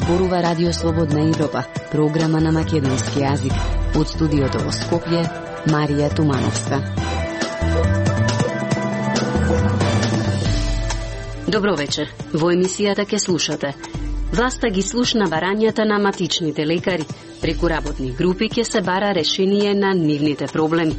зборува Радио Слободна Европа, програма на македонски јазик. Од студиото во Скопје, Марија Тумановска. Добро вечер. Во емисијата ке слушате. Власта ги слушна барањата на матичните лекари. Преку работни групи ќе се бара решение на нивните проблеми.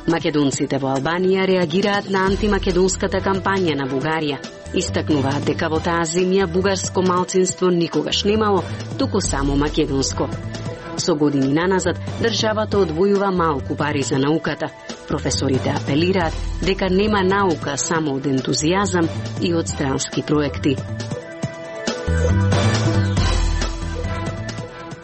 Македонците во Албанија реагираат на антимакедонската кампања на Бугарија. Истакнуваат дека во таа земја бугарско малцинство никогаш немало, туку само македонско. Со години наназад, државата одвојува малку пари за науката. Професорите апелираат дека нема наука само од ентузијазам и од странски проекти.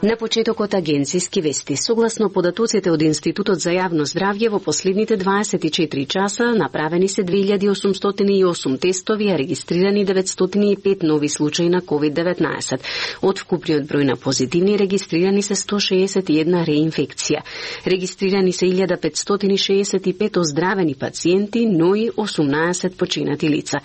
На почетокот агенциски вести. Согласно податоците од Институтот за јавно здравје, во последните 24 часа направени се 2808 тестови, а регистрирани 905 нови случаи на COVID-19. Од вкупниот број на позитивни регистрирани се 161 реинфекција. Регистрирани се 1565 оздравени пациенти, но и 18 починати лица.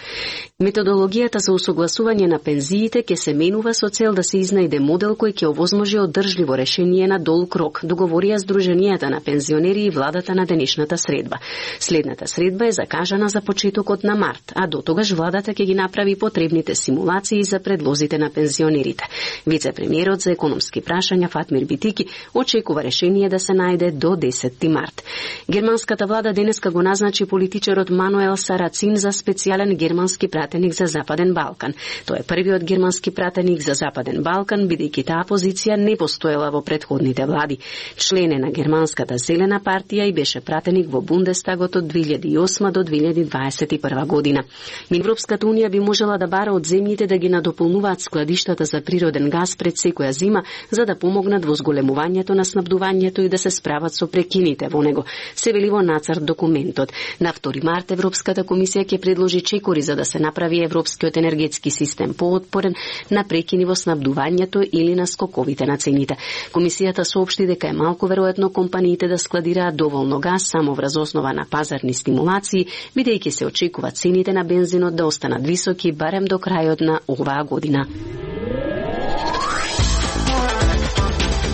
Методологијата за усогласување на пензиите ќе се менува со цел да се изнајде модел кој ќе овозможи одржливо решение на долг рок, договорија Сдруженијата на пензионери и владата на денешната средба. Следната средба е закажана за почетокот на март, а до тогаш владата ќе ги направи потребните симулации за предлозите на пензионерите. Вице-премиерот за економски прашања Фатмир Битики очекува решение да се најде до 10 март. Германската влада денеска го назначи политичарот Мануел Сарацин за специјален германски пратеник за Западен Балкан. Тој е првиот германски пратеник за Западен Балкан, бидејќи таа позиција не постоела во претходните влади. Член е на германската Зелена партија и беше пратеник во Бундестагот од 2008 до 2021 година. Европската унија би можела да бара од земјите да ги надополнуваат складиштата за природен газ пред секоја зима, за да помогнат во зголемувањето на снабдувањето и да се справат со прекините во него. Се вели во нацрт документот. На 2 март Европската комисија ќе предложи чекори за да се направи европскиот енергетски систем поотпорен на прекини во снабдувањето или на скоковите на цените. Комисијата соопшти дека е малку веројатно компаниите да складираат доволно газ само врз основа на пазарни стимулации, бидејќи се очекува цените на бензинот да останат високи барем до крајот на оваа година.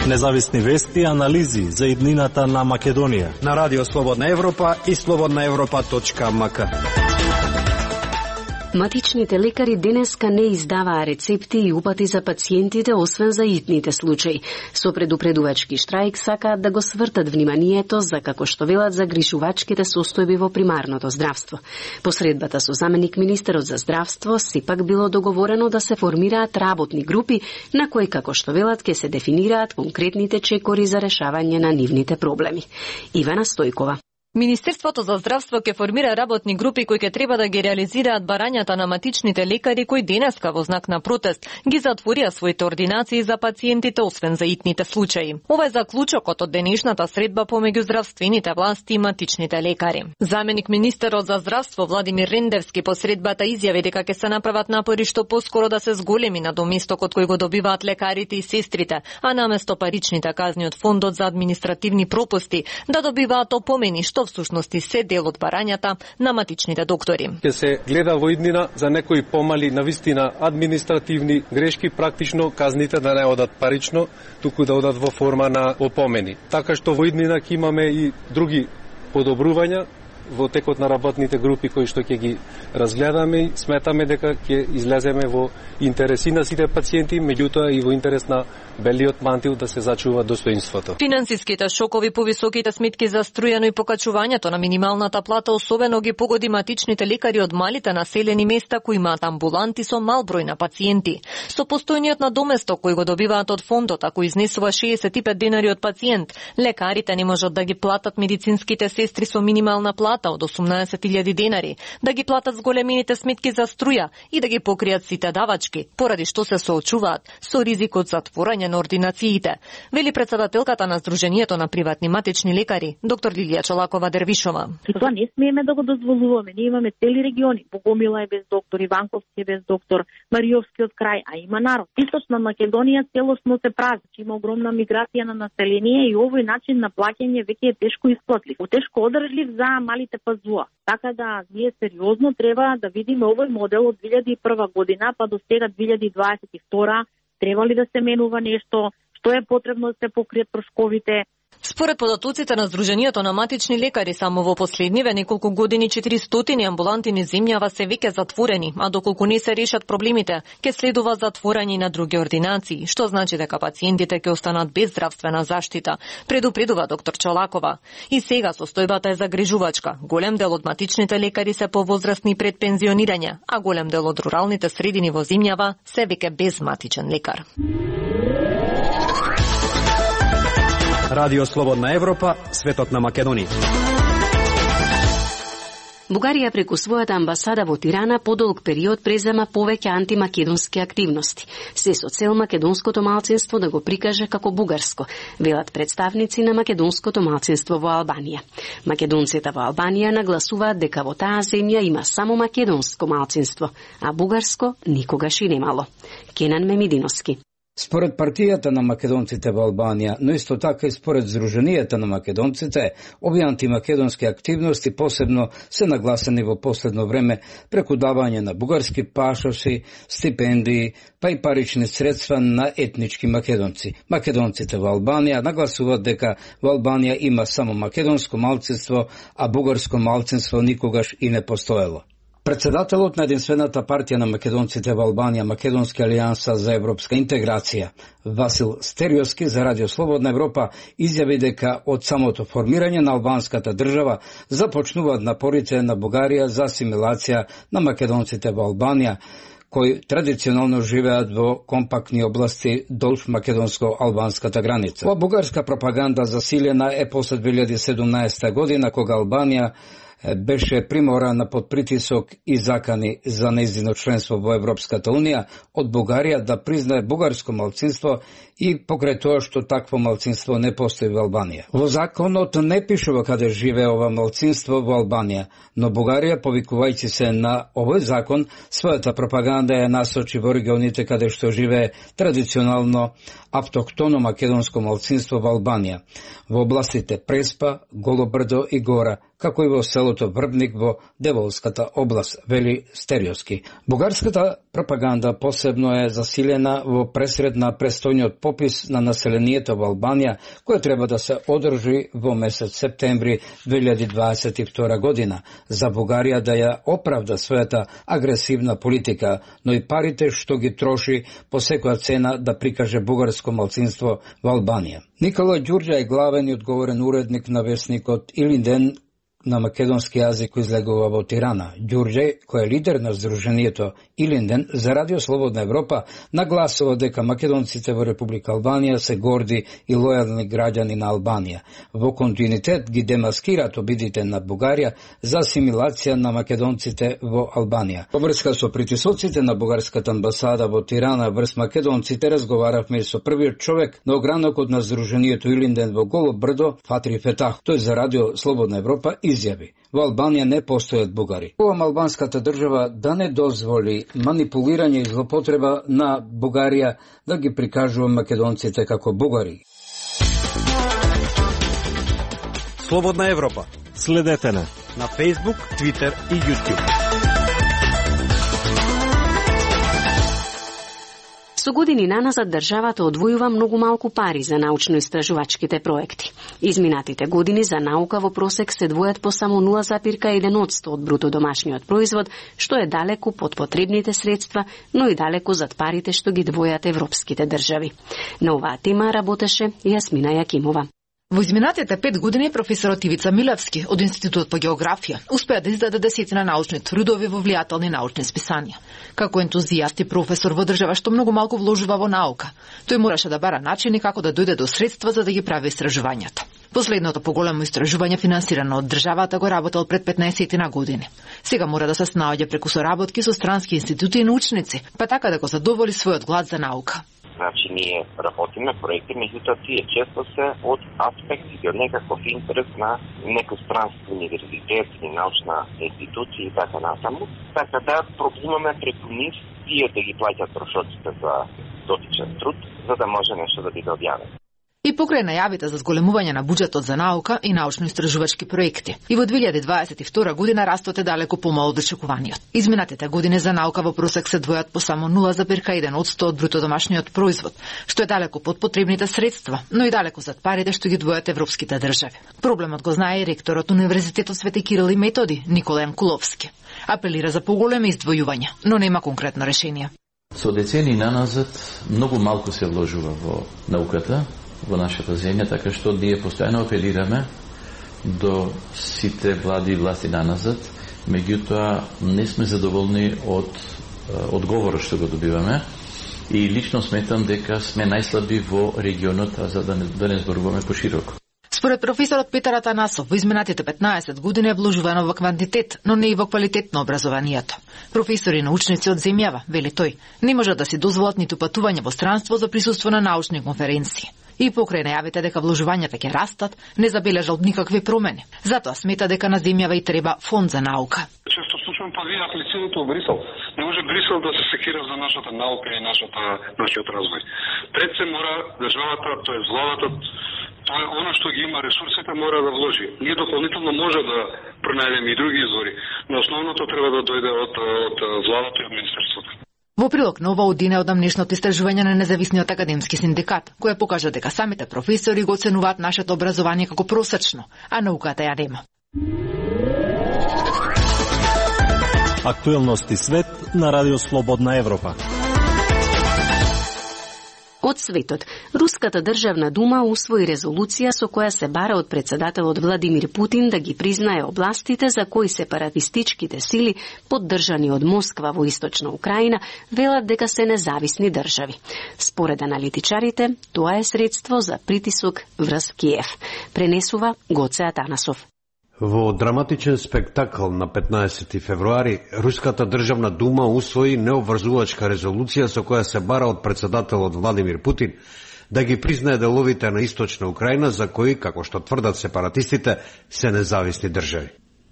Независни вести и анализи за иднината на Македонија на Радио Слободна Европа и slobodnaevropa.mk. Матичните лекари денеска не издаваа рецепти и упати за пациентите, освен за итните случаи. Со предупредувачки штрајк сакаат да го свртат вниманието за, како што велат, загрижувачките состојби во примарното здравство. По средбата со заменик министерот за здравство сепак било договорено да се формираат работни групи на кои, како што велат, ќе се дефинираат конкретните чекори за решавање на нивните проблеми. Ивана Стојкова. Министерството за здравство ќе формира работни групи кои ќе треба да ги реализираат барањата на матичните лекари кои денеска во знак на протест ги затворија своите ординации за пациентите, освен за итните случаи. Ова е заклучокот од денешната средба помеѓу здравствените власти и матичните лекари. Заменик министерот за здравство Владимир Рендевски по средбата изјави дека ќе се направат напори што поскоро да се зголеми надоместокот кој го добиваат лекарите и сестрите, а наместо паричните казни од фондот за административни пропусти да добиваат опомени што всушност се дел од барањата на матичните доктори. Ќе се гледа во иднина за некои помали навистина административни грешки, практично казните да не одат парично, туку да одат во форма на опомени. Така што во иднина ќе имаме и други подобрувања во текот на работните групи кои што ќе ги разгледаме и сметаме дека ќе излеземе во интереси на сите пациенти, меѓутоа и во интерес на белиот мантил да се зачува достоинството. Финансиските шокови, повисоките сметки за струја, но и покачувањето на минималната плата особено ги погоди матичните лекари од малите населени места кои имаат амбуланти со мал број на пациенти. Со постојниот надоместок кој го добиваат од фондот, ако изнесува 65 денари од пациент, лекарите не можат да ги платат медицинските сестри со минимална плата од 18.000 денари, да ги платат зголемените сметки за струја и да ги покријат сите давачки, поради што се соочуваат со ризикот за затворање на ординациите, вели председателката на Сдруженијето на приватни матични лекари, доктор Лилија Чолакова Дервишова. И тоа не смееме да го дозволуваме. Ние имаме цели региони. Богомила е без доктор, Иванковски е без доктор, Мариовскиот крај, а има народ. Источна Македонија целосно се празни. Има огромна миграција на население и овој начин на плаќање веќе е тешко исплатлив. Тешко одржлив за малите пазуа. Така да ние сериозно треба да видиме овој модел од 2001 година па до сега 2022 треба ли да се менува нешто, што е потребно да се покриет трошковите. Според податоците на Сдруженијето на матични лекари, само во последниве неколку години 400 амбуланти низ земјава се веќе затворени, а доколку не се решат проблемите, ќе следува затворање на други ординации, што значи дека пациентите ќе останат без здравствена заштита, предупредува доктор Чолакова. И сега состојбата е загрижувачка. Голем дел од матичните лекари се повозрастни пред пензионирање, а голем дел од руралните средини во земјава се веќе без матичен лекар. Радио Слободна Европа, светот на Македонија. Бугарија преку својата амбасада во Тирана подолг период презема повеќе антимакедонски активности, се со цел македонското малцинство да го прикаже како бугарско, велат представници на македонското малцинство во Албанија. Македонците во Албанија нагласуваат дека во таа земја има само македонско малцинство, а бугарско никогаш и немало. Кенан Мемидиновски. Според партијата на македонците во Албанија, но исто така и според Сдруженијата на македонците, овие антимакедонски активности посебно се нагласени во последно време преку давање на бугарски пашоси, стипендии, па и парични средства на етнички македонци. Македонците во Албанија нагласуваат дека во Албанија има само македонско малцинство, а бугарско малцинство никогаш и не постоело. Председателот на единствената партија на македонците во Албанија, Македонска алијанса за европска интеграција, Васил Стериоски за Радио Слободна Европа изјави дека од самото формирање на албанската држава започнуваат напорите на Бугарија за асимилација на македонците во Албанија, кои традиционално живеат во компактни области долж македонско-албанската граница. Ова бугарска пропаганда засилена е после 2017 година, кога Албанија беше приморана под притисок и закани за нејзино членство во Европската Унија од Бугарија да признае бугарско малцинство и покрај тоа што такво малцинство не постои во Албанија. Во законот не пишува каде живее ова малцинство во Албанија, но Бугарија, повикувајќи се на овој закон, својата пропаганда ја насочи во регионите каде што живее традиционално автохтоно македонско малцинство во Албанија, во областите Преспа, Голобрдо и Гора, како и во селото Врбник во Деволската област, вели Стериоски. Бугарската пропаганда посебно е засилена во пресред на престојниот попис на населението во Албанија, кој треба да се одржи во месец септември 2022 година, за Бугарија да ја оправда својата агресивна политика, но и парите што ги троши по секоја цена да прикаже бугарско малцинство во Албанија. Никола Ѓурѓа е главен и одговорен уредник на весникот Илинден на македонски јазик кој излегува во Тирана. Ѓурѓе, кој е лидер на Сдруженијето Илинден, за Радио Слободна Европа нагласува дека македонците во Република Албанија се горди и лојални граѓани на Албанија. Во континуитет ги демаскираат обидите на Бугарија за асимилација на македонците во Албанија. Во врска со притисоците на бугарската амбасада во Тирана врз македонците разговаравме со првиот човек на огранокот на Сдруженијето Илинден во Голо Брдо, Фатри Фетах. Тој за Радио Слободна Европа изјави: во Албанија не постојат бугари. Овам албанската држава да не дозволи манипулирање и злопотреба на Бугарија да ги прикажува македонците како бугари. Слободна Европа. Следете на Facebook, Twitter и YouTube. Со години наназад државата одвојува многу малку пари за научно-истражувачките проекти. Изминатите години за наука во просек се двојат по само 0,1% од бруто домашниот производ, што е далеку под потребните средства, но и далеку зад парите што ги двојат европските држави. На оваа тема работеше Јасмина Јакимова. Во изминатите 5 години професорот Ивица Милевски од Институтот по географија успеа да издаде десетина научни трудови во влијателни научни списанија. Како ентузијаст и професор во држава што многу малку вложува во наука, тој мораше да бара начини како да дојде до средства за да ги прави истражувањата. Последното поголемо истражување финансирано од државата го работел пред 15 на години. Сега мора да се снаоѓа преку соработки со странски институти и научници, па така да го задоволи својот глад за наука. Значи, ние работиме проекти, меѓутоа тие често се од аспект и од некаков интерес на некој странски универзитет или научна институција и така натаму. Така да пробуваме преку нив тие да ги плаќат трошоците за дотичен труд, за да може нешто да биде објавено. И покрај најавите за зголемување на буџетот за наука и научно-истражувачки проекти. И во 2022 година растот е далеко помал од очекуваниот. Изминатите години за наука во просек се двојат по само 0,1% од бруто домашниот производ, што е далеко под потребните средства, но и далеко зад парите што ги двојат европските држави. Проблемот го знае и ректорот Универзитетот Свети Кирил и Методи, Никола Јанкуловски. Апелира за поголеми издвојувања, но нема конкретно решение. Со децени наназад многу малку се вложува во науката во нашата земја, така што ние постојано апелираме до сите влади и власти наназад, меѓутоа не сме задоволни од одговорот што го добиваме и лично сметам дека сме најслаби во регионот, а за да не зборуваме пошироко. Според професорот Петар Атанасов, во изминатите 15 години е вложувано во квантитет, но не и во квалитет на образованието. Професори и научници од земјава, вели тој, не можат да си дозволат ниту патување во странство за присуство на научни конференции. И покрај најавите дека вложувањата ќе растат, не забележал никакви промени. Затоа смета дека на земјава и треба фонд за наука. Често слушам, па вие аплицирате во Брисел. Не може Брисел да се секира за нашата наука и нашиот развој. Пред се мора државата, тоест владата, тоа е она што ги има ресурсите, мора да вложи. Ние дополнително може да пронајдеме и други извори, но основното треба да дојде од владата и од министерството. Во прилог на ова одине од амнешното истражување на независниот академски синдикат, која покажа дека самите професори го оценуваат нашето образование како просечно, а науката ја нема. Актуелности свет на Радио Слободна Европа. Од светот, Руската државна дума усвои резолуција со која се бара од председателот Владимир Путин да ги признае областите за кои сепаратистичките сили, поддржани од Москва во источна Украина, велат дека се независни држави. Според аналитичарите, тоа е средство за притисок врз Киев. Пренесува Гоце Атанасов. Во драматичен спектакл на 15 февруари, Руската државна дума усвои необврзувачка резолуција со која се бара од председателот Владимир Путин да ги признае деловите на источна Украина за кои, како што тврдат сепаратистите, се независни држави.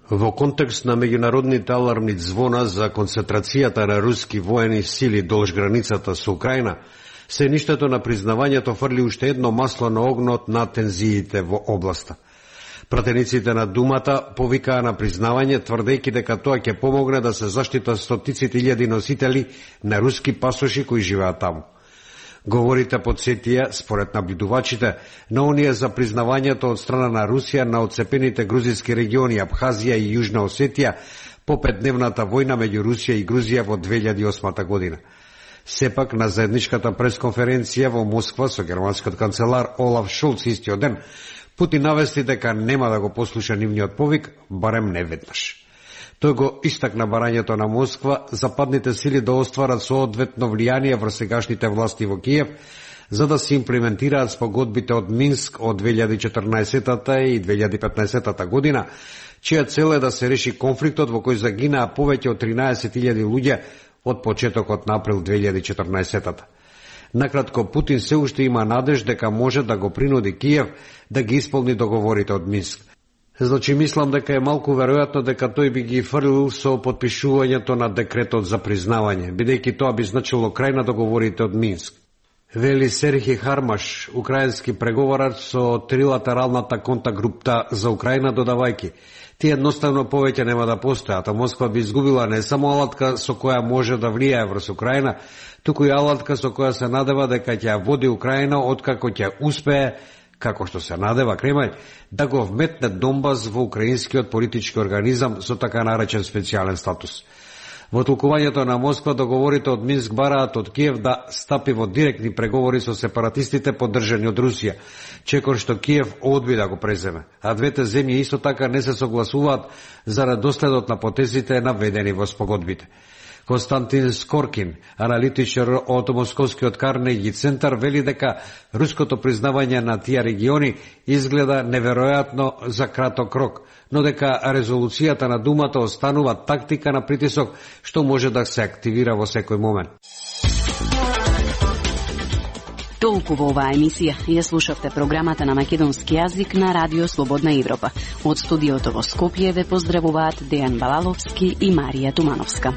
Во контекст на меѓународните алармни звона за концентрацијата на руски воени сили долж границата со Украина, се ништото на признавањето фрли уште едно масло на огнот на тензиите во областа. Пратениците на думата повикаа на признавање, тврдејќи дека тоа ќе помогне да се заштитат стотиците илјади носители на руски пасоши кои живеат таму. Говорите подсетија, според наблюдувачите, на оние за признавањето од страна на Русија на отцепените грузински региони Абхазија и Јужна Осетија по 5-дневната војна меѓу Русија и Грузија во 2008 година. Сепак, на заедничката пресконференција во Москва со германскиот канцелар Олаф Шолц истиот ден, Путин навести дека нема да го послуша нивниот повик, барем не веднаш. Тој го истакна барањето на Москва западните сили да остварат соодветно влијание врз сегашните власти во Киев, за да се имплементираат спогодбите од Минск од 2014 и 2015 година, чија цел е да се реши конфликтот во кој загинаа повеќе од 13.000 луѓе од почетокот на април 2014. Накратко, Путин се уште има надеж дека може да го принуди Киев да ги исполни договорите од Минск. Значи, мислам дека е малку веројатно дека тој би ги фрлил со подпишувањето на декретот за признавање, бидејќи тоа би значило крај на договорите од Минск. Вели Серхи Хармаш, украински преговорач со трилатералната контактгрупа за Украина, додавајќи: тие едноставно повеќе нема да постојат, а Москва би изгубила не само алатка со која може да влијае врз Украина, туку и алатка со која се надева дека ќе ја води Украина откако ќе успее, како што се надева Кремљ, да го вметне Донбас во украинскиот политички организам со така наречен специјален статус. Во толкувањето на Москва, договорите од Минск бараат од Киев да стапи во директни преговори со сепаратистите поддржани од Русија, чекор што Киев одби да го преземе, а двете земји исто така не се согласуваат зарад доследот на потезите наведени во спогодбите. Константин Скоркин, аналитичар од Московскиот Карнеги центар, вели дека руското признавање на тие региони изгледа неверојатно за краток рок, но дека резолуцијата на Думата останува тактика на притисок што може да се активира во секој момент. Толку во оваа емисија. Ја слушавте програмата на македонски јазик на Радио Слободна Европа. Од студиото во Скопје ве поздравуваат Дејан Балаловски и Марија Тумановска.